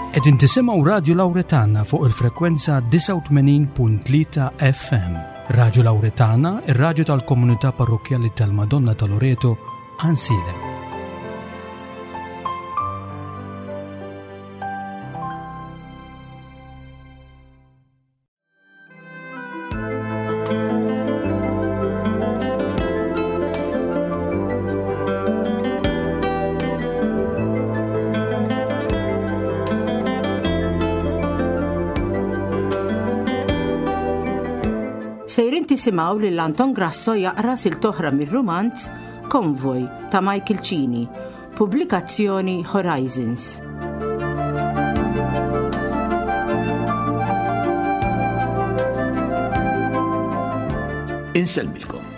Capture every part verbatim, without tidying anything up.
Qegħdin tisimgħu Radio Lauretana fuq il-frekwenza disgħa u tmenin punt tlieta F M. Radio Lauretana, ir-raġu tal-komunità parrokjali tal-Madonna ta' Loreto, Għajnsielem. Sejrin tisimgħu lil Anton Grasso jaqra silta oħra mir-rumanz Konvoj ta' Michael Cini, pubblikazzjoni Horizons. Insellmilkom.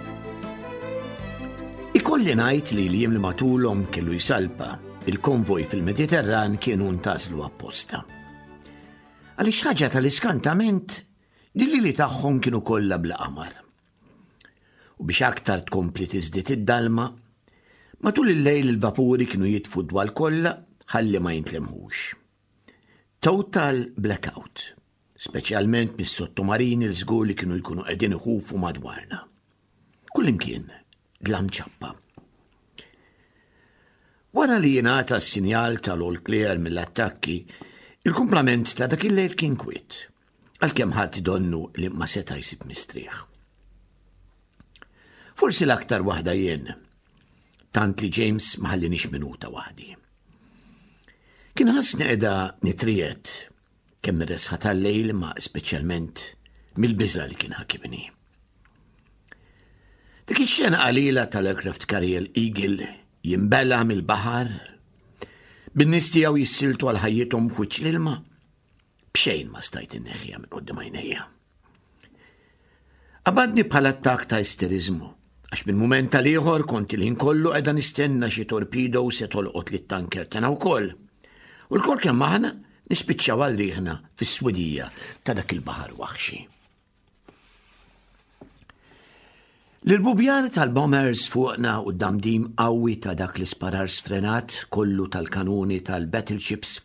Ikolli ngħid li l-jiem li matulhom kellu jsalpa il-konvoj fil-Mediterran kienu ntgħażlu apposta. Għaliex ħaġa tal-iskantament li li tagħhom kienu kollha bla qamar. U biex aktar tkompli tiżdied id-dalma, matul il-lejl il-vapuri kienu jitfu d-dwal kollha ħalli ma jintlemħux. Total blackout, speċjalment mis-sottomarini li żgur li kienu jkunu qegħdin iħufu madwarna. Kullimkien dlam ċappa. Wara li jingħata s-sinjal tal-all clear mill-attakki, il-kumplament ta' dak il-lejl kien kwiet, għalkemm ħadd donnu li ma seta' jsib mistrieħ. Forsi l-aktar waħda jien, tant li James ma ħallinix minuta waħdi. Kien ħassni qiegħda nitriegħed kemm mir-resħa tal-lejl ma speċjalment mill-biża li kien ħakimni. Dik ix-xena qalila tal-aircraft carrier Eagle jimbela mill-baħar, bin-nies tiegħu jissiltu għal ħajjithom f'wiċċ l-ilma, b'xejn ma stajt inneħħiha minn quddiem għajnejja. Qabadni bħal attak ta' isterizmu, għax minn mument għal ieħor kont il-ħin kollu qiegħda nistenna xi torpedo se tolqot lit-tanker tagħna wkoll. U lkoll kemm aħna nispiċċaw għal riħna fis-swidija ta' dak il-baħar waħxi. L-bubjar tal-bombers fuqna u d-damdim qawwi ta' dak l-isparar sfrenat kollu tal-kanuni tal-battleships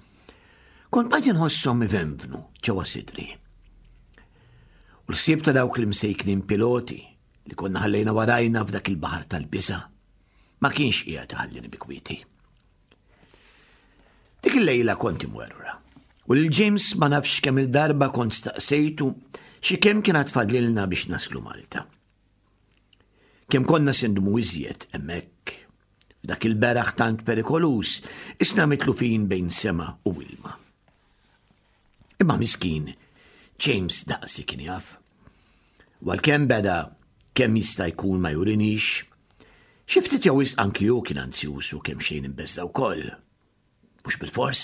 kont bqajt inħosshom ivenvnu ġewwa sidri. U l-ħsieb ta' dawk l-imsejknin piloti li konna ħallejna warajna f'dak il-baħar tal-biża ma kienx qiegħed iħallini bi kwieti. Dik il-lejla kont imwerwra. U lil James ma nafx kemm il-darba kont staqsejtu xi kemm kien fadlilna biex naslu Malta. Kemm konna se ndumu iżjed hemmhekk f'dak il-beraħ tant perikoluż, isna mitlufin bejn sema u ilma. Imma miskin, James daqsi kien jaf. U għalkemm beda kemm jista' jkun ma jurinix, xi ftit jew wisq anki hu kien anzjuż u kemm xejn imbeżża' wkoll. Mhux bil-fors.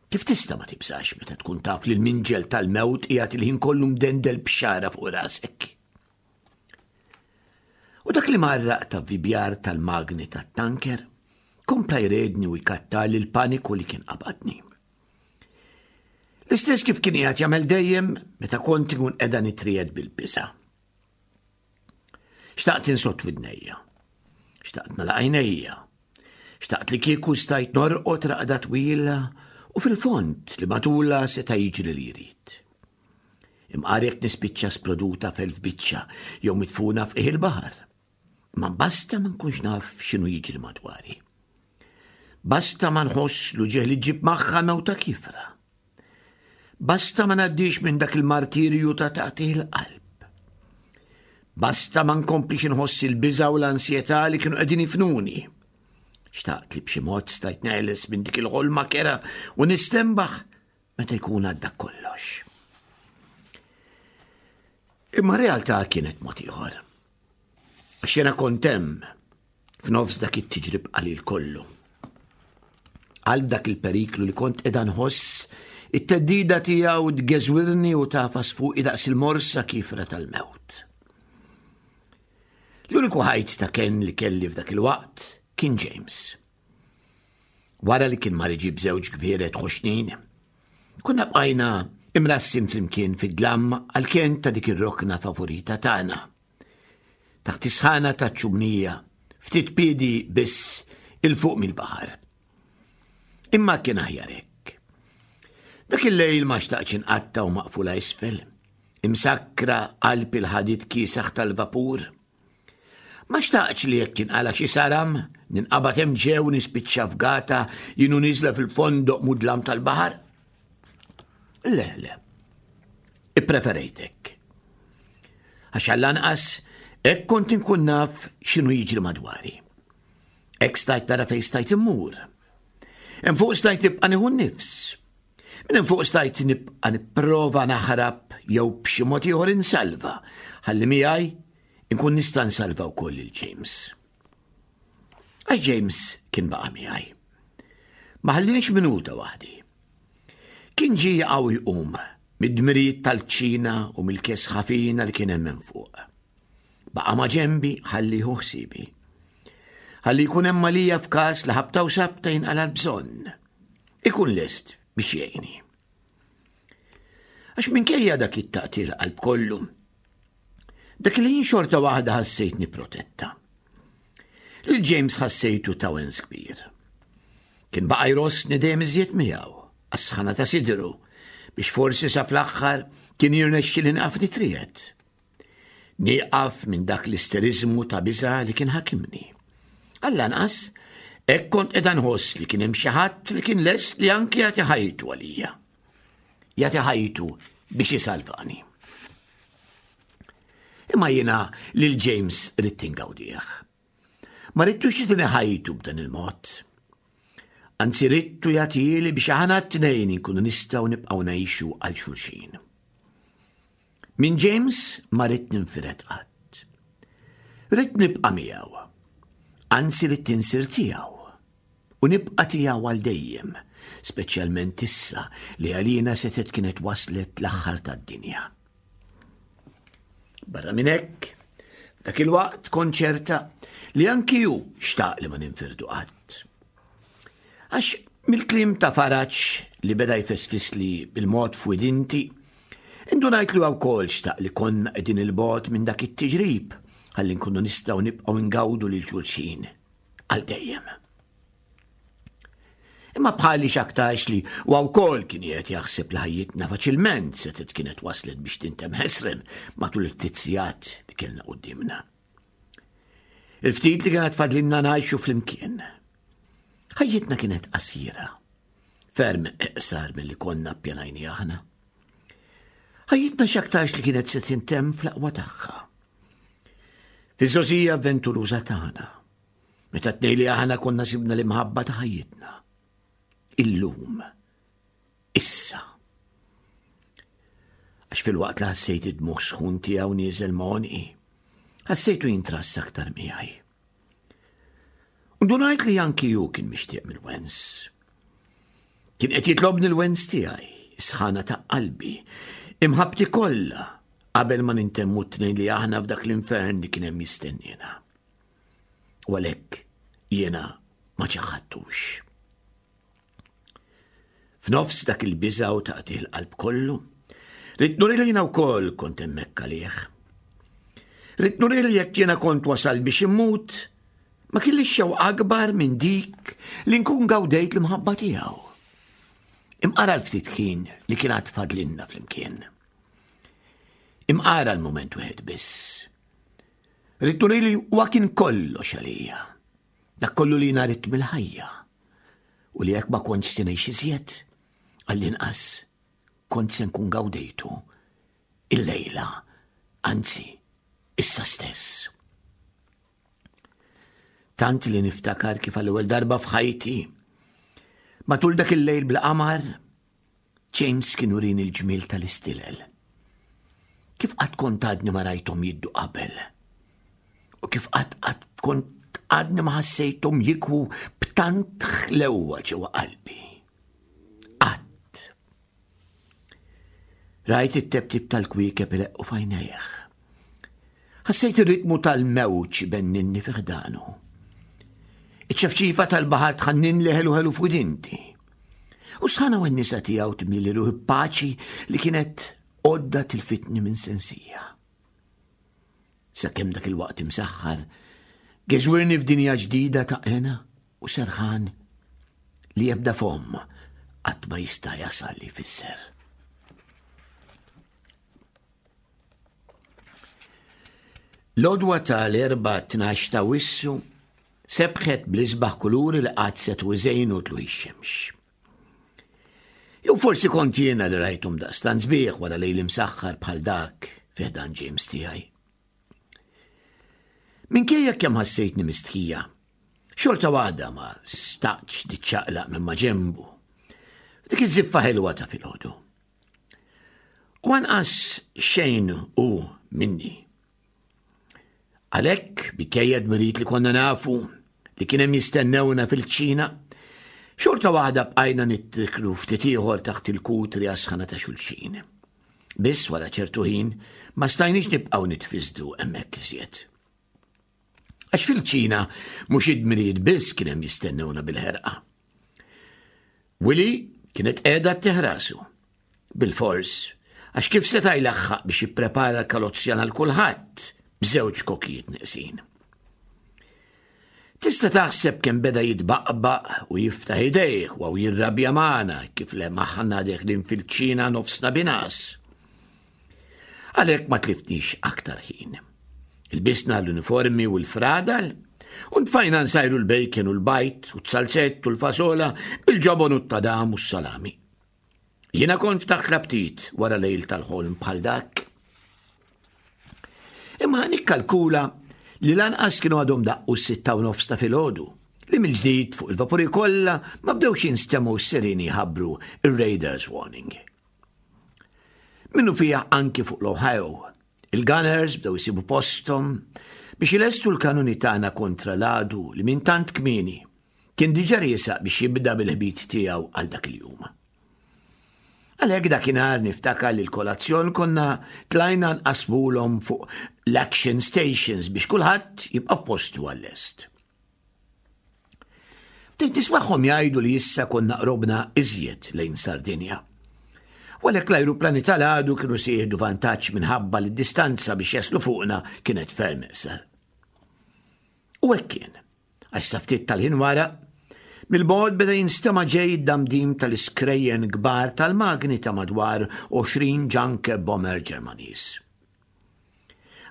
Kif tista' ma tibżax meta tkun taf li l-minġel tal-mewt qiegħed il-ħin kollu mdendel b'xara fuq rasek? U dak li marraq ta' vibjar tal-magni tat-tanker kompla jredni u jkattar l-paniku li kien qabadni. L-istess kif kien qiegħed jagħmel dejjem meta kont ikun qiegħda nitriegħed bil-biża'. Xtaqt insott widnejja, xtaqt nagħlaq għajnejja, xtaqt li kieku stajt norqod raqda twila u fil-fond li matula seta' jiġri li jrid. Imqar jekk nispiċċa sploduta f'elf biċċa jew mitfuna f'qiegħ il-baħar. Ma basta ma nkunx naf x'inhu jiġri madwari. Basta ma nħoss l-uġigħ li ġġib magħha mewta kiefra. Basta ma ngħaddix minn dak il-martirju ta' taqtigħ il-qalb. Basta ma nkomplix inħoss il-biża u l-ansjetà li kienu qegħdin jifnuni. Xtaqt li b'xi mod stajt neħles minn dik il-ħolma kerha u nistenbaħ meta jkun għadda kollox. Imma realtà kienet mod ieħor. Għax jiena kont hemm f'nofs dak it-tiġrib qalil kollu. Qalb dak il-periklu li kont qiegħda nħoss it-theddida tiegħu tgeżwirni u tagħfas fuqi daqs il-morsa kiefra tal-mewt. L-uniku ħajt ta' kenn li kelli f'dak il-waqt kien James. Wara li kien mar iġib żewġ gvieret ħoxnin, konna bqajna imrassin flimkien fid-dlam għal-kenn ta' dik ir-rokna favorita tagħna. Taħt is-sħana ta' ċumnija, ftit piedi biss 'il fuq mill-baħar. Imma kien aħjar hekk. Dak il-lejl ma xtaqtx inqattgħu maqfula isfel, imsakkra qalb il-ħadid kiesaħ tal-vapur. Ma xtaqtx li jekk jinqala xi saram, ninqabad hemm ġew nispiċċa fgata jien u nieżla fil-fondoq mudlam tal-baħar. Le, le. Ippreferejtek. Għax għall-anqas hekk kont inkun naf x'inhu jiġri madwari. Hekk stajt tara fejn stajt immur. Hemm fuq stajt nibqa' nieħu n-nifs. Minn hemm fuq stajt nibqa' nipprova naħrab jew b'xi mod ieħor insalva ħalli miegħi inkun nista' nsalva wkoll lil James. Għax James kien baqa' miegħi. Ma ħallinix minuta waħdi. Kien ġie jaqa' u jqum mid-dmirijiet tal-kċina u mill-kesħa fina li kien hemm minn fuq. Baqa' ma' ġenbi ħalli jieħu ħsiebi. Ħalli jkun hemm għalija f'każ li ħabta u sabta jinqala' l-bżonn. Ikun lest biex jgħinni. Għax minkejja dak it-taqtigħ qalb kollu, dak il-ħin xorta waħda ħassejtni protetta. Lil James ħassejtu ta' wens kbir. Kien baqa' jrossni dejjem iżjed miegħu, għas-sħana ta' sidru, biex forsi sa fl-aħħar kien jirnexxi nieqaf nitriegħed. Nieqaf minn dak l-isteriżmu ta' biża' li kien ħakimni. Għall-anqas, hekk kont qiegħda nħoss li kien hemm xi ħadd li kien lest li anki jagħti ħajtu għalija. Jagħti ħajtu biex isalvani. Imma jiena lil James ridt ingawdih. Ma ridtux jagħtini ħajtu b'dan il-mod. Anzi ridtu jagħtihieli biex aħna t-tnejn inkunu nistgħu nibqgħu ngħixu għal xulxin. Minn James ma ridt ninfired qatt. Ridt nibqa' miegħu. Anzi ridt insir tiegħu. U nibqa' tiegħu għal dejjem, speċjalment issa li għalina setgħet kienet waslet l-aħħar tad-dinja. Barra minn hekk, f'dak il-waqt kont ċerta li anki hu xtaq li ma ninfirdu qatt. Għax mill-kliem ta' faraġ li beda jfesfisli bil-mod f'widinti, indunajt li wkoll xtaq li konna qegħdin 'il bogħod minn dak it-tiġrib ħalli nkunu nistgħu nibqgħu ngawdu lil xulxin għal dejjem. Imma bħali x'aktarx li huwa wkoll kien qed jaħseb li ħajjitna faċilment setgħet kienet waslet biex tintemm ħesrem matul il-ftit sigħat li kellna quddiemna. Il-ftit li kienet fadlinna ngħixu flimkien. Ħajjitna kienet qasira, ferm iqsar milli konna ppjanajni aħna. Ħajjitna x'aktarx li kienet se tintemm fl-aqwa tagħha. Fiż-żgħożija avventuruża tagħna, meta tnejn li aħna konna sibna l-imħabba ta' ħajjitna. Illum, issa. Għax fil-waqt li ħassejt id-dmugħ sħun tiegħu nieżel ma' għonqi, ħassejtu jintrass aktar miegħi. U ndunajt li anki hu kien mixtieq mill-wens. Kien qed jitlobni l-wens tiegħi, is-sħana ta' qalbi, imħabbti kollha qabel ma nintemmu t-tnejn li aħna f'dak l-infern li kien hemm jistennina. U għalhekk jiena ma ċaħadtux. F'nofs dak il-biża' u taqtigħ il-qalb kollu, ridt nuri li jiena wkoll kont hemmhekk għalih. Ridt nuri li jekk jiena kont wasal biex immut, ma kellix xewqa akbar minn dik li nkun gawdejt l-imħabba tiegħu. Imqara l-ftit ħin li kien għad fadlinna flimkien. Imqara l-mument wieħed biss. Ridt nuri li huwa kien kollox għalija. Dak kollu li jiena ridt mill-ħajja. U li jekk ma kontx se ngħix iżjed, għall-inqas kont se nkun gawdejtu il-lejla, anzi, issa stess. Tant li niftakar kif għall-ewwel darba f'ħajti, matul dak il-lejl bla qamar, James kien urini l-ġmiel tal-istilel. Kif qatt kont għadni ma rajthom jiddu qabel. U kif qatt qatt kont għadni ma ħassejthom jikwu b'tant ħlewwa ġewwa qalbi. Qatt. Rajt it-teptip tal-kwiekeb ileqqu f'għajnejh. Ħassejt ir-ritmu tal-mewġ benninni fi ħdanu. Iċ-ċefċifa tal-baħar tħannin li ħelu ħelu f'widinti. U sħana u n-nisa tiegħu timli ruħi paċi li kienet għodda tilfitni minn sensija. Sakemm dak il-waqt imsaħħar, geżwirni f'dinja ġdida ta' hena u serħan li ebda fomm qatt ma jista' jasal li jfisser. L-għodwa tal-Erbgħa tnax ta' Wissu sebħet bl-isbaħ kuluri li qatt setgħu iżejnu tlugħ ix-xemx. Jew forsi kont jiena li rajthom daqstant sbieħ wara lejl imsaħħar bħal dak fi ħdan James tiegħi. Minkejja kemm ħassejtni mistħija, xorta waħda ma staqtx niċċaqlaq minn ma ġenbu. Dik iż-żiffa ħelwa ta' filgħodu. U anqas xejn hu minni. Għalhekk, minkejja dmirijiet li konna nafu li kien hemm jistennewna fil-ċina, xorta waħda bqajna nittriklu ftit ieħor taħt il-kutri għas-sħana ta' xulxin. Biss wara ċertu ħin ma stajniex nibqgħu nitfiżdu hemmhekk iżjed. Għax fil-ċina mhux id-dmirijiet biss kien hemm jistennewna bil-ħerqa. Willy kienet qiegħda teħrasu. Bil-fors, għax kif seta' jlaħħaq biex jipprepara l-kalozzjan għal kulħadd b'żewġ kokijiet neqsin. Tista' taħseb kemm beda jitbaqbaq u jiftaħ idejh u jirrabja magħna kif le maħna deħlin fil-ċina nofsna binas. Għalhekk ma tliftniex aktar ħin. Ilbisna l-uniformi u l-fradal u ntfajna nsajru l-bacon u l-bajt u t-salzett u l-fasola bil-ġobon u t-tadam u s-salami. Jiena kont ftaħt l-aptit wara lejl tal-ħolm bħal dak. Imma nikkalkula li lanqas kienu għadhom daqqu s-sitta u nofs ta' filgħodu, li mill-ġdid fuq il-vapuri kollha ma bdewx jinstemgħu s-sirini jħabbru ir-Raiders Warning. Minnu fija anki fuq l-Ohio, il-Gunners bdew isibu posthom biex ilestu l-kanuni tagħna kontra l-għadu li minn tant kmieni kien diġà riesaq biex jibda bil-ħbit tiegħu għal dak il-jum. Għalhekk dakinhar niftakar li l-kolazzjon konna tlajna nqasmulhom fuq l-action stations biex kulħadd jibqa' f'postu għall-lest. Bdejt nismagħhom jgħidu li issa konna qrobna iżjed lejn Sardinja. U għalhekk l-ajruplani tal-għadu kienu se jieħdu vantaġġ minħabba li d-distanza biex jaslu fuqna kienet ferm iqsar. U hekk kien, għax sa ftit tal-ħin wara, mill-bogħod beda jinstema' ġej id-damdim tal-iskrejjen kbar tal-magni ta' madwar għoxrin Junker bomber Ġermaniż.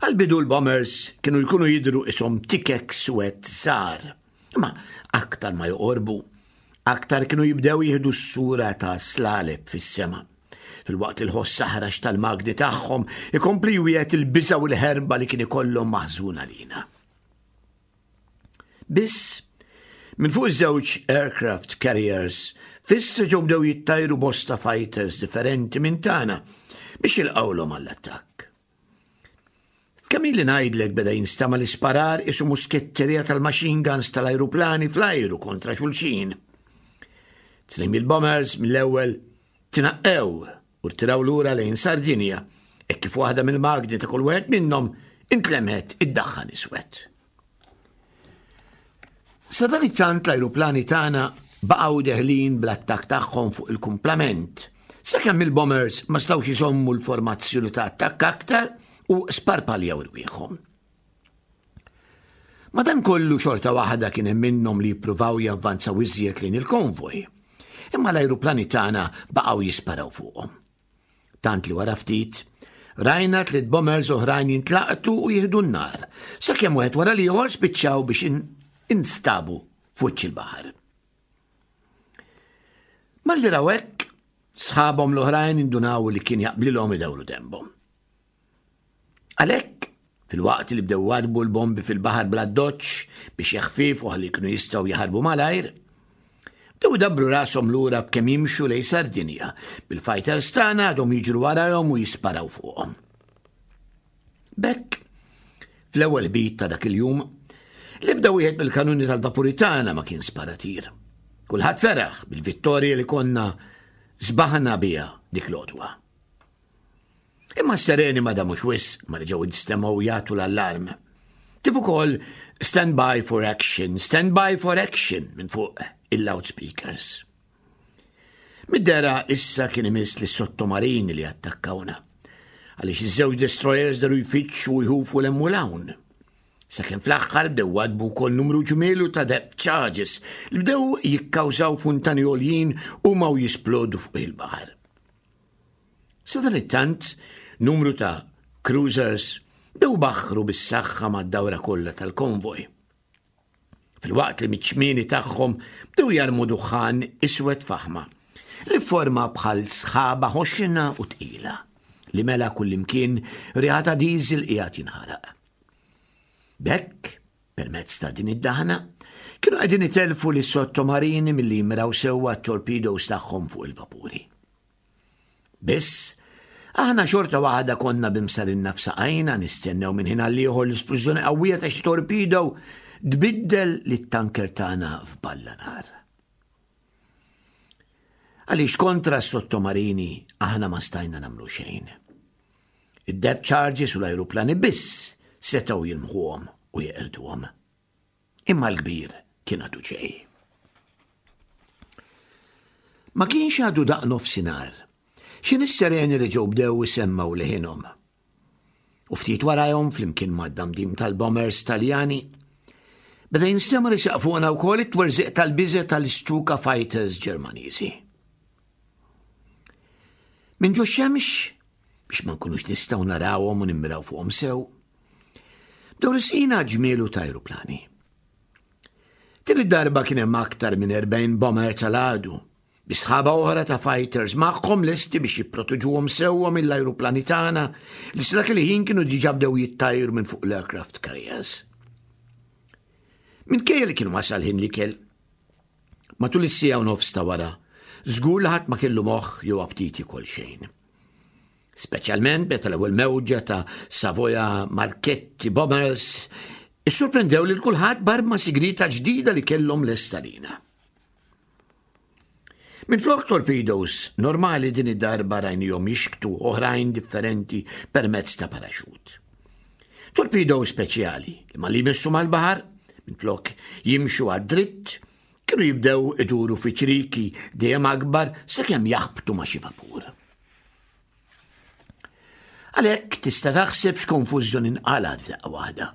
Għal-bidu l-bombers kienu jkunu jidhru ishom tikek suwed żgħar, imma aktar ma joqorbu, aktar kienu jibdew jieħdu s-sura ta' slaleb fis-sema. Fil-waqt il-ħoss saħrax tal-magni tagħhom ikompli jwiegħed il-biża' u l-ħerba li kien ikollhom maħżuna lina. Biss, minn fuq iż-żewġ aircraft carriers, fissa ġew bdew jittajru bosta fighters differenti minn tagħna biex jilqawlhom għall-attakk. Kemm ili ngħidlek beda jinstama' l-isparar isu musketterija tal-machine guns tal-ajruplani fl-ajru kontra xulxin. Tnejn mill-bombers mill-ewwel tnaqqew u rtiraw lura lejn Sardinja, hekk kif waħda mill-magni ta' kull wieħed minnhom intlemħet iddaħħan iswed. Sadanittant l-ajruplani tagħna baqgħu deħlin bl-attakk tagħhom fuq il-kumplament, sakemm il-bombers ma stawx iżommu l-formazzjoni ta' attakk aktar u sparpaljaw irwieħhom. Madankollu xorta waħda kien hemm minnhom li jippruvaw javvanzaw iżjed lejn il-konvoj, imma l-ajruplani tagħna baqgħu jisparaw fuqhom. Tant li wara ftit, rajna tliet bombers oħrajn jintlaqtu u jieħdu n-nar, sakemm wieħed wara l-ieħor spiċċaw biex instabu f'wiċċ il-baħar. Malli raw hekk, sħabhom l-oħrajn indunaw li kien jaqblilhom idawru dembhom. Għalhekk, fil-waqt li bdew warbu l-bombi fil-baħar bla doċċ biex jaħfifu ħalli jkunu jistgħu jaħarbu malajr, bdew idabbru rashom lura b'kemm jimxu lejn Sardinja, bil-fighters tagħna għadhom jiġru warahom u jisparaw fuqhom. B'hekk, fl-ewwel bit ta' dak il-jum, l-ebda wieħed mill-kanuni tal-vapuri tagħna ma kien sparatir. Kulħadd feraħ bil-vittorja li konna żbaħna biha dik l-għodwa. Imma s-sereni ma damux wisq ma reġgħu instemgħu jagħtu l-allarm. Kif ukoll stand by for action, stand by for action minn fuq il-loudspeakers. Mid-dera issa kien imiss li sottomarini li attakkawna. Għaliex iż-żewġ destroyers daru jfittxu u jħufu l-hemm u l-hawn. Sakemm fl-aħħar bdew wadbu wkoll numru ġmielu ta' depth charges li bdew jikkawżaw funtani għoljin u ma jisplodu fuq il-baħar. Sadanittant, numru ta' cruisers bdew baħħru bis-saħħa mad-dawra kollha tal-konvoj. Filwaqt li miċ-ċmieni tagħhom bdew jarmu duħħan iswed faħma li forma bħal sħaba ħoxna u tqila li mela kullimkien riħa ta' diesel qiegħed jinħaraq. B'hekk, permezz ta' din id-daħna, kienu qegħdin itelfu lis sottomarini milli jimraw sewwa t-torpedoes tagħhom fuq il-vapuri. Biss, aħna xorta waħda konna b'imsarinna f'saqajna nistennew minn ħin għall-ieħor l-isplużjoni qawwija ta' xi torpedo tbiddel lit-tanker tagħna f'balla nar. Għaliex kontra s-sottomarini aħna ma stajna nagħmlu xejn. Id-depth charges u l-ajruplani biss setgħu jilmħuhom u jeqirduhom. Imma l-kbir kien għadu ġej. Ma kienx għadu daqq nofsinhar. X'ħin is-sireni reġgħu bdew isemmgħu leħinhom. U ftit warajhom flimkien mad-damdim tal-bombers Taljani, beda jinstema' riesaq fuqna wkoll it-twerżiq tal-biża' tal-Stuka Fighters Ġermaniżi. Minn ġo xemx, biex ma nkunux nistgħu narawhom u nimmiraw fuqhom sew, bdew resqin ġmielu ta' ajruplani. Din id-darba kien hemm aktar minn erbgħin bomber tal-għadu, bi sħaba oħra ta' fighters magħhom lesti biex jipproteġuhom sewwa mill-ajruplani tagħna li sa dak il-ħin kienu diġà bdew jittajru minn fuq l-aircraft carriers. Minkejja li kienu wasal ħin l-ikel, matul is-siegħa u nofs ta' wara, żgur li ħadd ma kellu moħħ jew aptit jiekol xejn. Speċjalment meta l-ewwel mewġa ta' Savoia Marchetti Bombers issurprendew lil kulħadd b'arma sigrita ġdida li kellhom lesta lina. Minflok torpedoes normali din id-darba rajnihom jixktu oħrajn differenti permezz ta' paraxut. Torpedoes speċjali li malli jmissu mal-baħar, minflok jimxu għad-dritt, kienu jibdew iduru fi ċriki dejjem akbar sakemm jaħbtu ma' xi vapur. Għalhekk tista' taħseb x'konfużjoni nqalgħet f'daqqa waħda.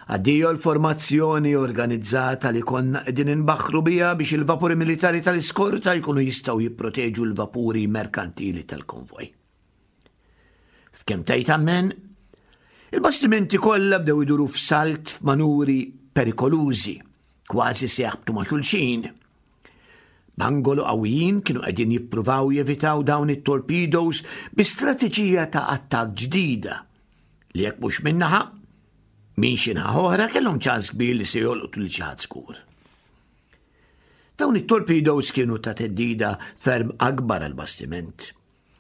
Addio l-formazzjoni organizzata li konna qegħdin inbaħħru biha biex il-vapuri militari tal-iskorta jkunu jistgħu jipproteġu l-vapuri merkantili tal-konvoj. F'kemm tgħid ammen, il-bastimenti kollha bdew iduru f'salt f'manuri perikolużi, kważi se jaħbtu ma' xulxin. B'angolu qawwijin kienu qegħdin jippruvaw jevitaw dawn it-torpedoes bi strateġija ta' attakk ġdida li jekk mhux min-naħa, minn xi naħa oħra kellhom ċans kbir li se jolqtu lil xi ħadd żgur. Dawn it-torpedoes kienu ta' theddida ferm akbar għal bastiment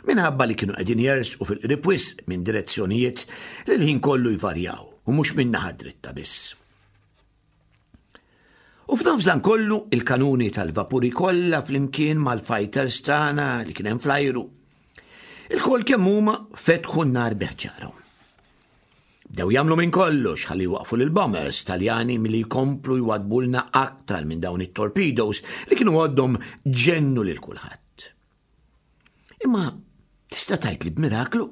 minħabba li kienu qegħdin jersqu fil-qrib wisq minn direzzjonijiet li l-ħin kollu jvarjaw u mhux minn naħa dritta biss. U f'nofs dan kollu il-kanuni tal-vapuri kollha flimkien mal-fighters tagħna li kien hemm fl-ajru. Ilkoll kemm huma fetħu n-nar bi ħġarhom. Bdew jagħmlu minn kollox ħalli waqfu lil bombers Taljani milli jkomplu jwadbulna aktar minn dawn it-torpedoes li kienu għoddhom ġennu lil kulħadd. Imma tista' tgħid li b'miraklu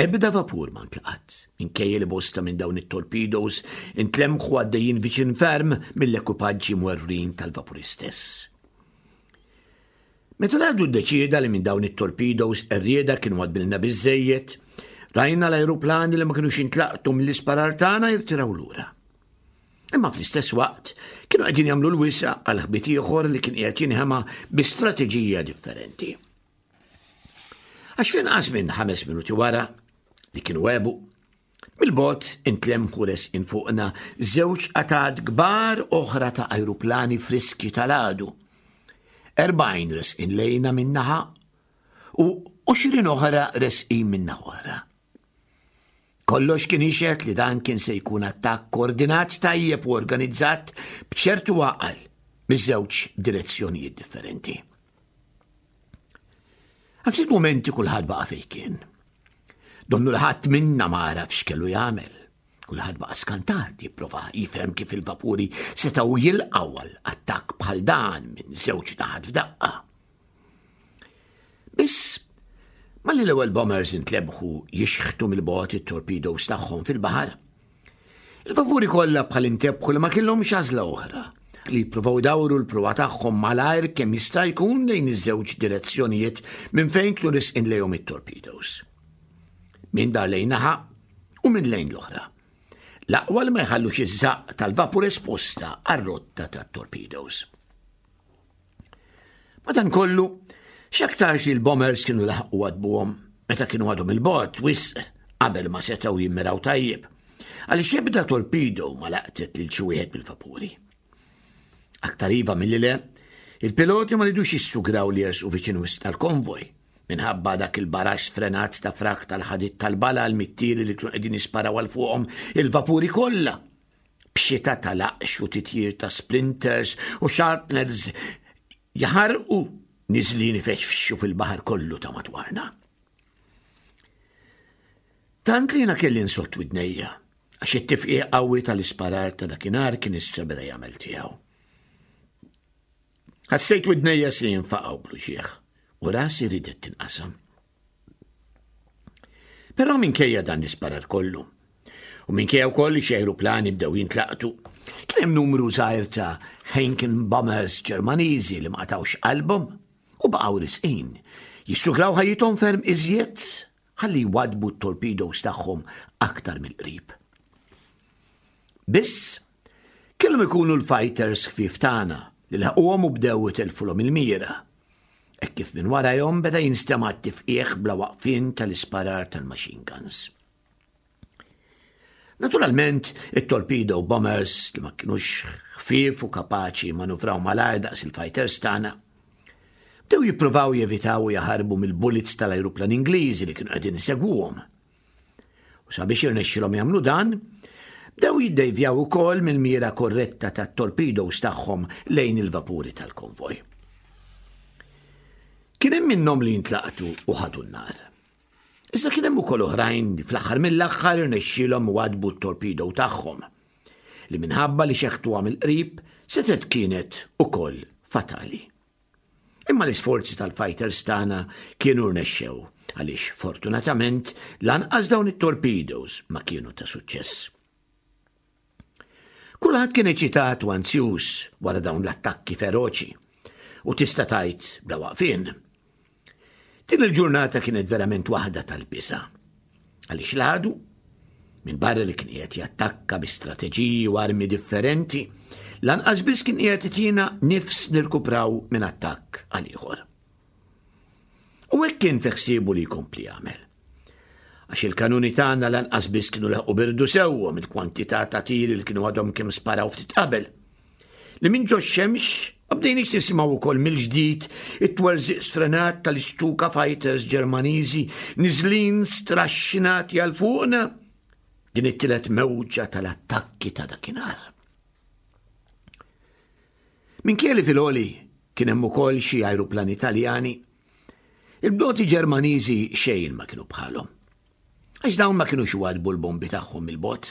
ebda vapur ma ntlaqat, minkejja li bosta minn dawn it-torpedoes intlemħu għaddejjin viċin ferm mill-ekwipaġġi mwerwrin tal-vapuri stess. Meta l-għadu ddeċieda li minn dawn it-torpedoes qerrieda kienu għadbilna biżejjed, rajna l-ajruplani li ma kienux intlaqtu mill-isparar tagħna jirtiraw lura. Imma fl-istess waqt kienu qegħdin jagħmlu l-wisa għal ħbit ieħor li kien qiegħed jinħema bi strateġija differenti. Għax f'inqas minn ħames minuti wara li kienu għebu, mill-bogħod intlemħu resqin fuqna żewġ qatgħat kbar oħra ta' ajruplani friski tal-għadu. Erbgħin resqin lejna min-naħa u għoxrin oħra resqin min-naħa oħra. Kollox kien jixhed li dan kien se jkun attakk koordinat tajjeb u organizzat b'ċertu għaqal miż-żewġ direzzjonijiet differenti. Għal ftit momenti kulħadd baqa' fejn kien. Donnu li ħadd minna ma għaraf x'kellu jagħmel. Kulħadd baqa' skantat jipprova jifhem kif il-vapuri setgħu jilqgħu għal attakk bħal dan minn żewġ naħat f'daqqa. Biss, malli l-ewwel bombers intlebħu jixħtu mill-bogħod it-torpedoes tagħhom fil-baħar, Il-vapuri kollha bħal intebħu li ma kellhomx għażla oħra li jippruvaw dawru l-pruwa tagħhom malajr kemm jista' jkun lejn iż-żewġ direzzjonijiet minn fejn kienu risqin lejhom it-torpedoes. Min dar lejn naħa u min lejn l-oħra. L-aqwa li ma jħallux iż-żaqq tal-vapur esposta għar-rotta tat-torpedoes. Madankollu, x'aktarx il-bombers kienu laħqu waddbuhom meta kienu għadhom 'il bogħod wisq qabel ma setgħu jimmiraw tajjeb, għaliex ebda torpedo ma laqtet lil xi wieħed mill-vapuri. Aktar iva milli le, il-piloti ma ridux jissugraw li jersqu viċin wisq tal-konvoj, minħabba dak il-barax sfrenat ta' frak tal-ħadid tal-bala għal-mittiri li kienu qegħdin jisparaw għal fuqhom il-vapuri kollha. B'xita ta' laqx u titjir ta' splinters u shrapnels jaħarqu niżlin ifexfxu fil-baħar kollu ta' madwarna. Tant li jiena kelli nsodd widnejja, għax it-tifqigħ qawwi tal-isparar ta' dakinhar kien issa beda jagħmel tiegħu. Ħassejt widnejja se jinfaqgħu bl-uġigħ u rasi ridet tinqasam. Però minkejja dan l-isparar kollu, u minkejja wkoll li xi ajruplani bdew jintlaqtu, kien hemm numru żgħir ta' Heinkel bombers Ġermaniżi li ma qatgħux qalbhom u baqgħu risqin, jissugraw ħajjithom ferm iżjed ħalli jwaddbu t-torpedoes tagħhom aktar mill-qrib. Biss, kellhom ikunu l-fighters ħfief tagħna li laħquhom u bdew itelfulhom il-mira. Hekk kif minn warajhom beda jinstema' t-tifqigħ bla waqfien tal-isparar tal-machine guns. Naturalment, it-torpedo bombers li ma kienux ħfief u kapaċi manuvraw malajr daqs il-fighters tagħna, bdew jippruvaw jevitaw u jaħarbu mill-bullets tal-ajruplan Ingliżi li kienu qegħdin isegwuhom. U sabiex irnexxilhom jagħmlu dan, bdew jiddejvjaw ukoll mill-mira korretta tat-torpedoes tagħhom lejn il-vapuri tal-konvoj. Kien hemm minnhom li jintlaqtu u ħadu n-nar. Iżda kien hemm ukoll oħrajn li fl-aħħar mill-aħħar irnexxielhom waddbu t-torpedo tagħhom, li minħabba li xeħtuha mill-qrib setgħet kienet ukoll fatali. Imma l-isforzi tal-fighters tagħna kienu rnexxew għaliex fortunatament lanqas dawn it-torpedoes ma kienu ta' suċċess. Kulħadd kien eċitat u anzjuż wara dawn l-attakki feroċi u tista' tgħid bla waqfien. Din il-ġurnata kienet verament waħda tal-biża'. Għaliex l-għadu, minn barra li kien qiegħed jattakka bi strateġiji u armi differenti, lanqas biss kien qiegħed itina nifs nirkupraw minn attakk għal ieħor. U hekk kien fi ħsiebu li jkompli jagħmel. Għax il-kanuni tagħna lanqas biss kienu laħqu birdu sewwa mill-kwantità ta' tiri li kienu għadhom kemm sparaw ftit qabel. Li minn ġo xemx ma bdejniex nisimgħu wkoll mill-ġdid it-twerżiq sfrenat tal-Stuka fighters Ġermaniżi niżlin straxxinati għal fuqna din it-tielet mewġa tal-attakki ta' dakinhar. Minkejja li fil-għoli kien hemm ukoll xi ajruplani Taljani, il-bdoti Ġermaniżi xejn ma kienu bħalhom. Għax dawn ma kinux iwaddbu l-bombi tagħhom mill-bogħod.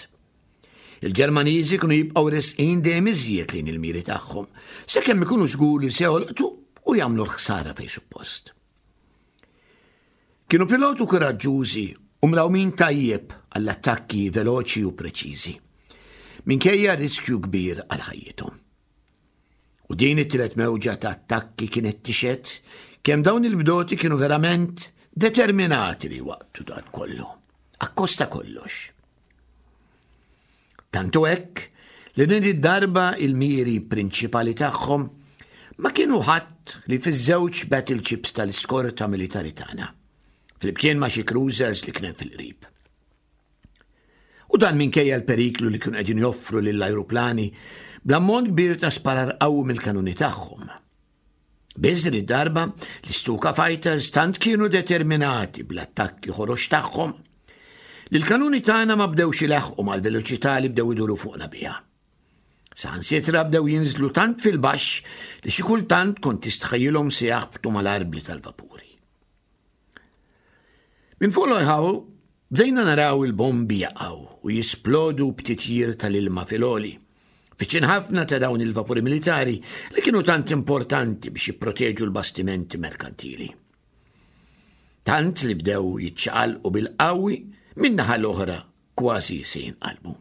Il-Ġermaniżi kienu jibqgħu resqin dejjem iżjed lejn il-miri tagħhom, sakemm ikunu żgur li se jolqtu u jagħmlu l-ħsara fejn suppost. Kienu pilotu kuraġġużi u mrawmin tajjeb għall-attakki veloċi u preċiżi, minkejja riskju kbir għal ħajjithom. U din it-tielet mewġa ta' attakki kienet tixhed kemm dawn il-bdoti kienu verament determinati li waqtu dan kollu, akkosta kollox. Tantu hekk li din id-darba il-miri prinċipali tagħhom ma kienu ħadd li fiż-żewġ battleships tal-iskorta militari tagħna, flimkien ma' xi cruisers li kien fil-qrib. U dan minkejja l-periklu li kienu qegħdin joffru lill-ajruplani bl-ammont kbir ta' sparar qawwi mill-kanuni tagħhom. Biss din id-darba l-Stuka fighters tant kienu determinati bl-attakki ħorox tagħhom li l-kanuni tagħna ma bdewx ilaħqu mal-veloċità li bdew iduru fuqna biha. Saħansitra bdew jinżlu tant fil-baxx li xi kultant kont tistħajjilhom se jaħbtu mal-arbli tal-vapuri. Minn fuq l-ħaw bdejna naraw il-bombi jaqgħu u jisplodu b'titjir tal-ilma fil-għoli. Viċin ħafna ta' dawn il-vapuri militari li kienu tant importanti biex jipproteġu l-bastimenti merkantili. Tant li bdew jiċċaqalqu bil-qawwi min-naħa l-oħra kważi se jinqalbu.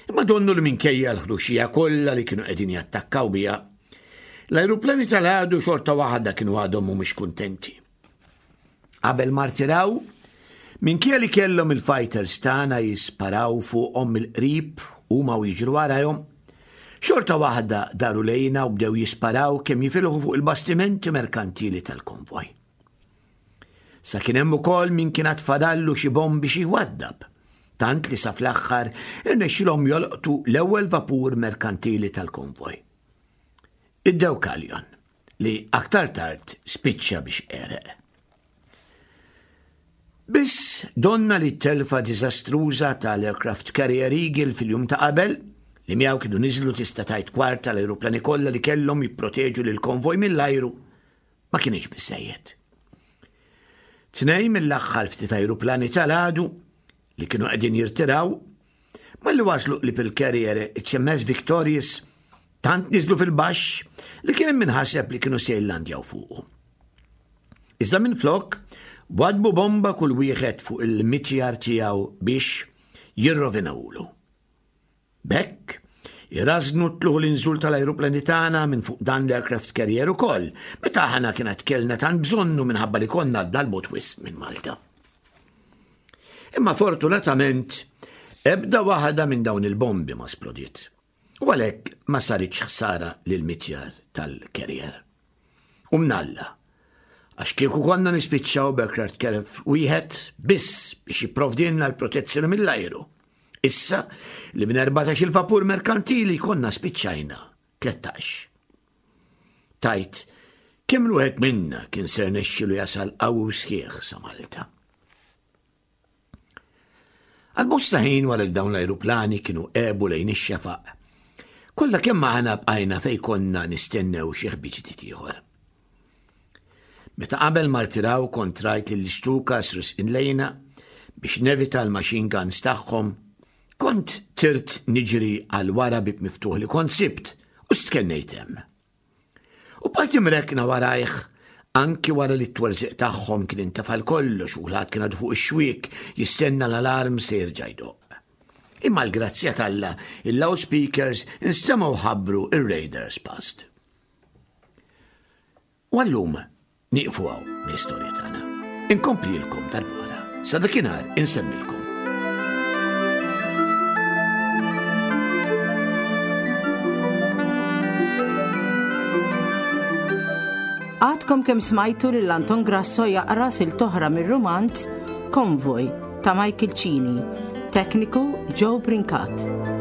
Imma donnu li minkejja l-ħruxija kollha li kienu qegħdin jattakkaw biha, l-ajruplani tal-għadu xorta waħda kienu għadhom mhumiex kuntenti. Qabel ma rtiraw, minkejja li kellhom il-fighters tagħna jisparaw fuqhom mill-qrib huma u jiġru warajhom, xorta waħda daru lejna u bdew jisparaw kemm jifilħu fuq il-bastimenti merkantili tal-konvoj. Sa kien hemm ukoll min kien għad fadallu xi bombi xi jwaddab, tant li sa fl-aħħar irnexxilhom jolqtu l-ewwel vapur merkantili tal-konvoj. Id-Deucalion, li aktar tard spiċċa biex għereq. Biss donna li t-telfa diżastruża tal-aircraft carrier Eagle fil-jum ta' qabel, li miegħu kienu niżlu tista' tgħid kwart tal-ajruplani kollha li kellhom jipproteġu lil konvoj mill-ajru, ma kienx biżejjed. Tnejn mill-aħħar ftit ajruplani tal-għadu li kienu qegħdin jirtiraw, malli waslu qrib il-carrier H M S Victorious tant niżlu fil-baxx li kien hemm min ħaseb li kienu se jillandjaw fuqu. Iżda minn flok, wadbu bomba kull wieħed fuq il-mitjar tiegħu biex jirrovinawlu. B'hekk, irażnu t-tlugħ u l-inżul tal-ajruplani tagħna minn fuq dan l-aircraft carrier ukoll, meta aħna kienet kellna tant bżonnu minħabba li konna għadna 'l bogħod wisq minn Malta. Imma fortunatament, ebda waħda minn dawn il-bombi ma splodiet. U għalhekk ma saritx ħsara lil mitjar tal-carrier. U mnalla, għax kieku konna nispiċċaw b'aircraft carrier wieħed biss biex jipprovdilna l-protezzjoni mill-ajru. Issa li minn erbatax il-vapur merkantili konna spiċċajna tlettax. Tajt, kemm wieħed minna kien ser nexxilu jasal qawwi sħiħ sa Malta. Għal bosta ħin wara li dawn l-ajruplani kienu għebu lejn ix-xefaq, kollha kemm aħna bqajna fej konna nistennew xi ħbit ġdid ieħor. Meta qabel ma rtiraw kont rajt li l-Stukas resqin lejna biex nevita l-machine guns tagħhom, kont tirt niġri għal wara bib miftuħ li kont sibt u stkennejt hemm. U bqajt imrekkna warajh anki wara li t-twerżiq tagħhom kien intefa kollox u kulħadd kien għadu fuq ix-xwiek jistenna l-alarm se jerġa' jdoqq. Imma l-grazzja t'Alla, il-loudspeakers instemgħu ħabbru ir-raiders passed. U għallum nieqfu hawn l-istorja tagħna. Inkomplilkom darb'oħra. Sa dakinhar insellmilkom. Għadkom kemm smajtu lil Anton Grasso jaqra silta oħra mir-rumanz Konvoj ta' Michael Cini, tekniku Joe Brincat.